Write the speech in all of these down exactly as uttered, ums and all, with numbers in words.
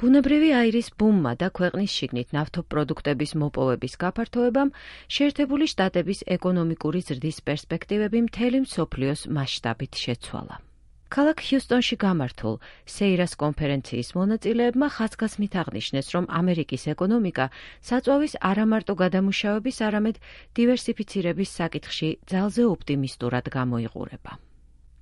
ბუნებრივი აირის ბუმმა და ქვეყნის შიგნით ნავთობპროდუქტების მოპოვების გაფართოებამ შეერთებული შტატების ეკონომიკური ზრდის პერსპექტივები მთელი მსოფლიოს მასშტაბით შეცვალა. ქალაქ ჰიუსტონში გამართულ სეირას კონფერენციის მონაწილეებმა ხაზგასმით აღნიშნეს, რომ ამერიკის ეკონომიკა საწვავის არამარტო გადამუშავების, არამედ დივერსიფიცირების საკითხში ძალზე ოპტიმისტურად გამოიყურება.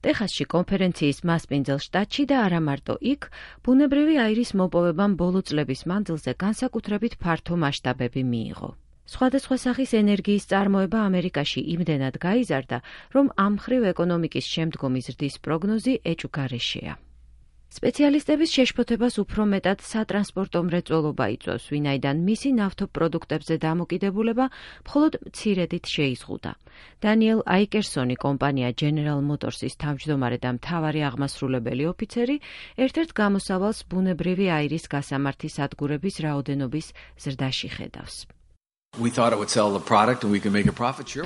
ტეხასში კონფერენციის მასპინძელ შტატში და არა მარტო იქ, ბუნებრივი აირის მოპოვებამ ბოლო წლების მანძილზე განსაკუთრებით ფართო მასშტაბები მიიღო. სხვადასხვა სახის ენერგიის წარმოება ამერიკაში იმდენად გაიზარდა, რომ ამ მხრივ ეკონომიკის შემდგომი ზრდის პროგნოზი ეჭვგარეშეა. სპეციალისტების შეშფოთებას უფრო მეტად სატრანსპორტო მრეწველობა იწვევს, ვინაიდან მისი ნავთობპროდუქტებზე დამოკიდებულება მხოლოდ მცირედით შეიზღუდა. დანიელ აიკერსონი, კომპანია General Motors-ის თავმჯდომარე და მთავარი აღმასრულებელი ოფიცერი, ერთ-ერთ გამოსავალს ბუნებრივი აირის გასამართი სადგურების რაოდენობის ზრდაში ხედავს.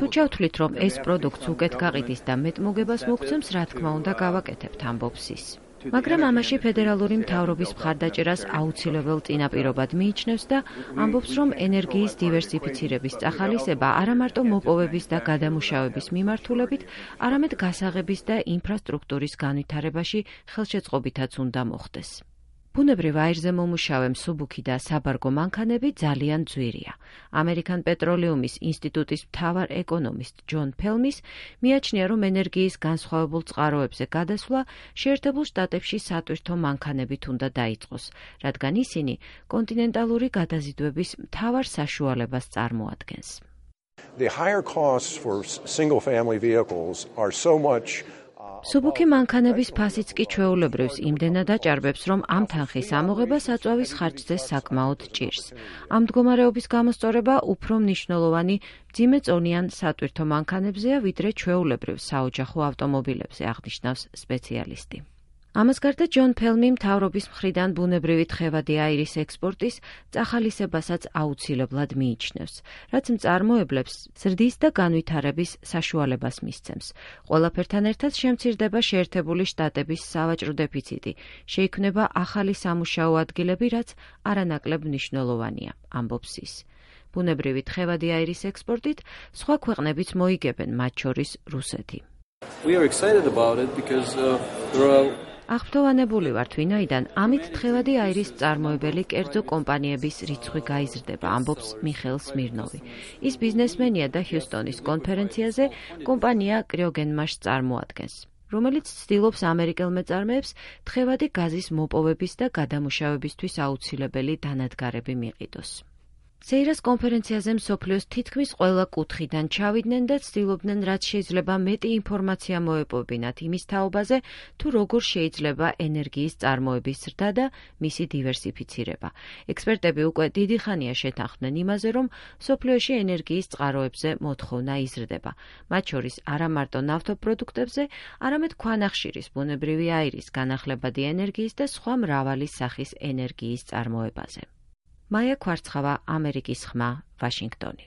თუ ჩავთვლით, რომ ეს პროდუქტს უკეთ გაყიდის და მეტ მოგებას მოგცემს, რა თქმა უნდა გავაკეთებთ, ამბობს ის. მაგრამ ამაში ფედერალური მთავრობის მხარდაჭერას აუცილებელ წინაპირობად მიიჩნევს და ამბობს, რომ ენერგიის დივერსიფიცირების წახალისება არა მარტო მოპოვების და გადამუშავების მიმართულებით, არამედ გასაღების და ინფრასტრუქტურის განვითარებაში ხელშეწყობითაც უნდა მოხდეს. ბუნებრივ აირზე მომუშავე მსუბუქი და საბარგო მანქანები ძალიან ძვირია. ამერიკან პეტროლიუმის ინსტიტუტის მთავარ ეკონომისტ ჯონ ფელმის მიაჩნია, რომ ენერგიის განსხვავებულ წყაროებზე გადასვლა შეერთებულ შტატებში სატვირთო მანქანებით უნდა დაიწყოს, რადგან ისინი კონტინენტალური გადაზიდვების მთავარ საშუალებას წარმოადგენს. The higher costs for single-family vehicles are so much მსუბუქი მანქანების ფასიც კი ჩვეულებრივს იმდენად აჭარბებს, რომ ამ თანხის ამოღება საწვავის ხარჯზე საკმაოდ ჭირს. ამ მდგომარეობის გამოსწორება უფრო მნიშვნელოვანი მძიმეწონიან სატვირთო მანქანებზეა, ვიდრე ჩვეულებრივ საოჯახო ავტომობილებზე, აღნიშნავს სპეციალისტი. ამას გარდა ჯონ ფელმი მთავრობის მხრიდან ბუნებრივი თხევადი აირის ექსპორტის წახალისებასაც აუცილებლად მიიჩნევს, რაც მწარმოებლებს ზრდის და განვითარების საშუალებას მისცემს. ყველაფერთან ერთად შემცირდება შეერთებული შტატების სავაჭრო დეფიციტი, შეიქმნება ახალი სამუშაო ადგილები, რაც არანაკლებ მნიშვნელოვანია, ამბობს ის. ბუნებრივი თხევადი აირის ექსპორტით სხვა ქვეყნებიც მოიგებენ, მათ შორის რუსეთი. We are excited about it because uh, there are აღფრთოვანებული ვართ, ვინაიდან ამით თხევადი აირის წარმოებელი კერძო კომპანიების რიცხვი გაიზრდება, ამბობს მიხეილ სმირნოვი. ის ბიზნესმენია და ჰიუსტონის კონფერენციაზე კომპანია კრიოგენმაშს წარმოადგენს, რომელიც ცდილობს ამერიკელ მეწარმეებს თხევადი გაზის მოპოვების და გადამუშავებისთვის აუცილებელი დანადგარები მიყიდოს. სეირას კონფერენციაზე მსოფლიოს თითქმის ყველა კუთხიდან ჩავიდნენ და ცდილობდნენ, რაც შეიძლება მეტი ინფორმაცია მოეპოვებინათ იმის თაობაზე, თუ როგორ შეიძლება ენერგიის წარმოების ზრდა და მისი დივერსიფიცირება. ექსპერტები უკვე დიდი ხანია შეთანხმდნენ იმაზე, რომ მსოფლიოში ენერგიის წყაროებზე მოთხოვნა იზრდება, მათ შორის არა მარტო ნავთობპროდუქტებზე, არამედ ქვანახშირის, ბუნებრივი აირის, განახლებადი ენერგიის და სხვა მრავალი სახის ენერგიის წარმოებაზე. მაია ქვარცხავა, ამერიკის ხმა, ვაშინგტონი.